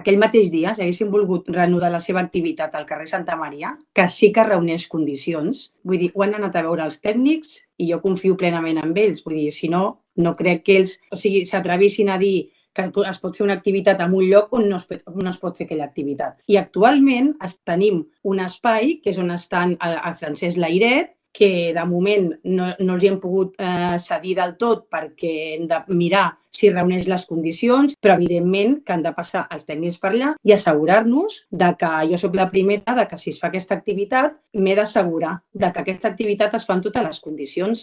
aquell mateix dia, si haguéssim volgut reanudar la seva activitat al carrer Santa Maria, que sí que reuneix condicions, vull dir, ho han anat a veure els tècnics i jo confio plenament en ells. Vull dir, si no, no crec que ells s'atrevissin a dir que es pot fer una activitat en un lloc on no es pot fer aquella activitat. I actualment tenim un espai, que és on estan el Francesc Layret, que de moment no els hi hem pogut cedir del tot perquè hem de mirar si reuneix les condicions, però evidentment que han de passar els tècnics per allà i assegurar-nos de que jo soc la primera, de que si es fa aquesta activitat m'he d'assegurar de que aquesta activitat es fa en totes les condicions